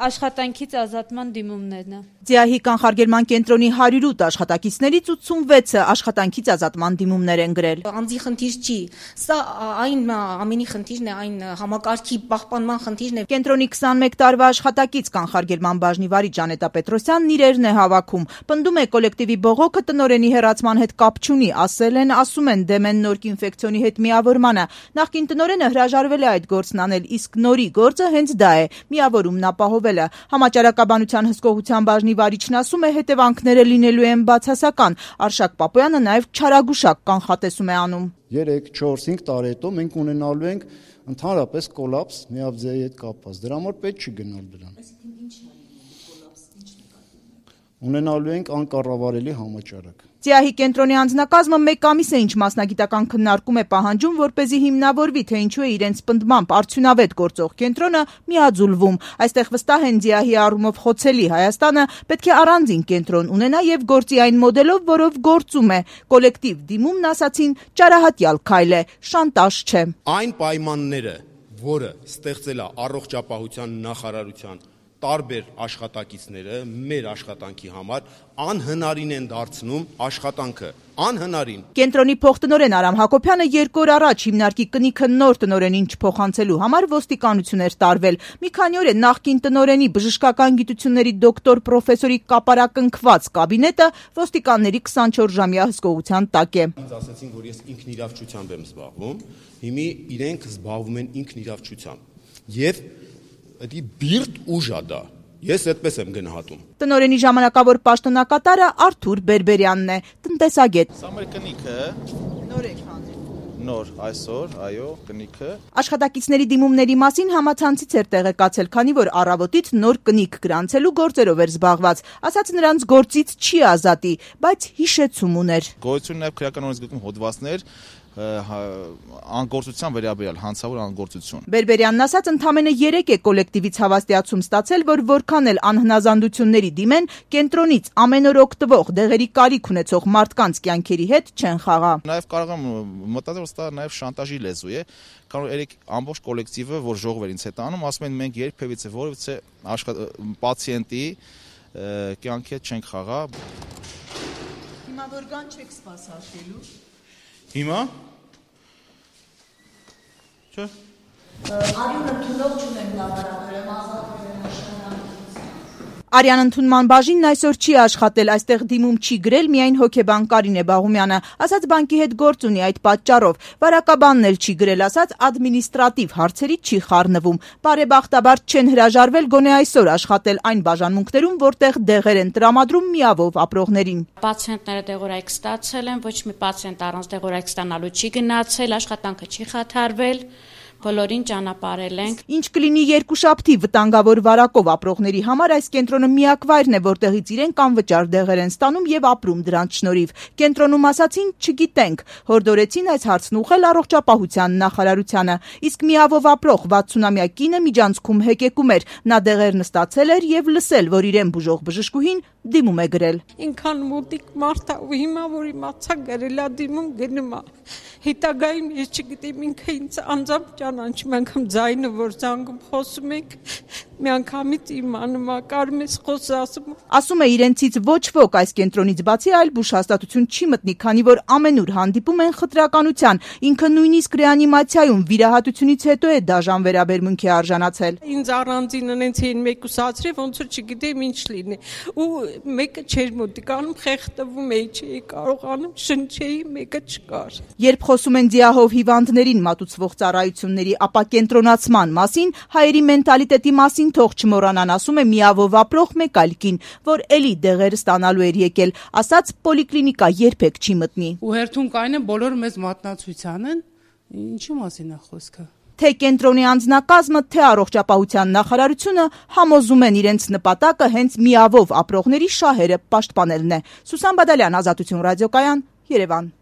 Աշխատանքից ազատման դիմումներն է։ ՁԻԱՀ-ի կանխարգելման կենտրոնի 108 աշխատակիցներից 86-ը աշխատանքից ազատման դիմումներ են գրել։ Անձի խնդիր չի, սա այն ամենի խնդիրն է, այն համակարգի պահպանման խնդիրն է։ Կենտրոնի 21 տարվա աշխատակից կանխարգելման բաժնի վարիչ Ժանետա Պետրոսյանն իրերն է հավաքում։ Պնդում է կոլեկտիվի բողոքը տնօրենի հեռացման հետ կապ չունի, ասում են դեմ են նորք ինֆեկցիոնի հետ միավորմանը։ Նախկին տնօրենը հրաժարվել է այդ գործն անել, իսկ նորի գործը հենց դա է՝ միավորումն ապահովելը։ Համաճարակաբանության հսկողության բաժնի վարիչն ասում է, հետևանքները լինելու են բացասական։ Արշակ Պապոյանը նաև չարագուշակ կանխատեսում է անում։ 3-4-5 տարի հետո մենք ունենալու ենք ընդհանրապես կոլապս միաբձեի հետ կապված։ Դրա համար պետք չի գնալ դրան։ Ունենալու ենք անկառավարելի համաճարակ։ ԶԻԱՀ-ի կենտրոնի անձնակազմը 1 ամիս է ինչ մասնագիտական քննարկում է պահանջում, որպեսզի հիմնավորվի, թե ինչու է իրենց պնդմամբ արդյունավետ գործող կենտրոնը միաձուլվում։ Այստեղ վստահ են ԶԻԱՀ-ի առումով խոցելի Հայաստանը պետք է առանձին կենտրոն ունենա եւ գործի այն մոդելով, որով գործում է։ Կոլեկտիվ դիմումն ասացին ճարահատյալ քայլ է, շանտաժ չէ։ Այն պայմանները, որը ստեղծել է առողջապահության նախարարության տարբեր աշխատակիցները մեր աշխատանքի համար անհնարին են դարձնում աշխատանքը, անհնարին։ Կենտրոնի փոխտնօրեն Արամ Հակոբյանը 2 օր առաջ հիմնարկի կնիքը նոր տնօրենին չփոխանցելու համար ոստիկանություն էր տարվել։ Մի քանի օր է նախկին տնօրենի բժշկական գիտությունների դոկտոր պրոֆեսորի կապարակնքված կաբինետը ոստիկանների 24-ժամյա հսկողության տակ է։ Ինձ ասացին, որ ես ինքնիրավչությամբ եմ զբաղվում, հիմի իրենք զբաղվում են ինքնիրավչությամբ։ Եվ դա բիրտ ուժ է դա։ Ես այդպես եմ գնահատում։ Տնօրենի ժամանակավոր պաշտոնակատարը Արթուր Բերբերյանն է, տնտեսագետ։ Սա մեր կնիքը է։ Նոր եք հանել։ Նոր այսօր, այո, կնիքը։ Աշխատակիցների դիմումների մասին համացանցից էր տեղեկացել, քանի որ առավոտից նոր կնիկ գրանցելու գործերով էր զբաղված։ Ասաց նրանց գործից չի ազատի, բայց հիշեցում ուներ։ Գոյություն նաև քրեական օրենսգրքում հոդվածներ անգործության վերաբերյալ հանցավոր անգործություն։ Բերբերյանն ասաց, ընդամենը 3 է կոլեկտիվից հավաստիացում ստացել, որ որքան էլ անհնազանդությունների դիմեն, կենտրոնից ամեն օր օգտվող դեղերի կարիք ունեցող մարդկանց կյանքերի հետ չեն խաղա։ Նաև կարող եմ մտածել, որ դա նաև շանտաժի լեզու է, քանի որ երեք ամբողջ կոլեկտիվը, որ ժողով էր ինձ հետ անում, ասում են մենք երբևիցե որևիցե պացիենտի կյանքի հետ չենք խաղա։ Հիմա որքան չեք սպասարկելու։ Հիմա Չէ։ Արյան ընդունող չունենք լաբորատորիայում ազատվել են աշխատանքից։ Արյան ընդունման բաժինն այսօր չի աշխատել, այստեղ դիմում չի գրել միայն հոգեբան Կարինե Բաղումյանը, ասաց բանկի հետ գործ ունի այդ պատճառով, վարակաբանն էլ չի գրել, ասաց ադմինիստրատիվ հարցերի չի խառնվում, բարեբախտաբար չեն հրաժարվել գոնե այսօր աշխատել այն բաժանմունքներում, որտեղ դեղեր են տրամադրում միավով ապրողներին։ Պացիենտները դեղորայք ստացել են, ոչ մի պացիենտ առանց դեղորայք ստանալու չի գնացել, աշխատանքը չի խաթարվել։ Բոլորին ճանապարհել ենք։ Ինչ կլինի երկուշաբթի վտանգավոր վարակով ապրողների համար այս կենտրոնը միակ վայրն է, որտեղից իրենք անվճար դեղեր են ստանում եւ ապրում դրանց շնորհիվ։ Կենտրոնում ասացին չգիտենք, հորդորեցին այս հարցն ուղղել առողջապահության նախարարությանը։ Իսկ միավով ապրող 60-ամյա կինը միջանցքում հեկեկում էր, նա դեղերն ստացել էր եւ լսել, որ իրեն բուժող բժշկուհին դիմում է գրել։ Ինքան մոտիկ մարդ է ու հիմա որ իմացա գրելա դիմում գնում է։ Հետագայում ես չգիտեմ ինքը ինձ անձամբ ճանաչում անգամ ձայնը որ զանգում խոսում եք մի անգամից իմանում է կարում ես խոսում։ Ասում է իրենցից ոչ ոք այս կենտրոնից բացի այլ բուժհաստատություն չի մտնի, քանի որ ամենուր հանդիպում են խտրականության։ Ինքը նույնիսկ ռեանիմացիայում վիրահատությունից հետո է դաժան վերաբերմունքի արժանացել։ Ինձ առանձին այնց էին մեկուսացրի, ոնց որ չգիտեմ ինչ լինի։ Ու մեկը չէր մոտիկանում, խեղդվում էի, չէի կարողանում շնչեի, մեկը չկար։ Երբ խոսում են ՁԻԱՀ-ով հիվանդներին մատուցվող ծառայությունների ապա կենտրոնացման մասին, հայերի մենտալիտետի մասին թող չմոռանան, ասում է միավով ապրող մեկ այլ կին, որ էլի դեղեր ստանալու էր եկել, ասաց պոլիկլինիկա երբեք չի մտնի։ Ու հերթում կային են բոլոր մեզ մատնացության են, ինչու մասին է խոսքը։ Թե կենտրոնի անձնակազմը, թե առողջապահության նախարարությունը համոզում են իրենց նպատակը հենց միավով ապրողների շահերը պաշտպանելն է։ Սուսան Բադալյան, Ազատություն ռադիոկայան, Երևան։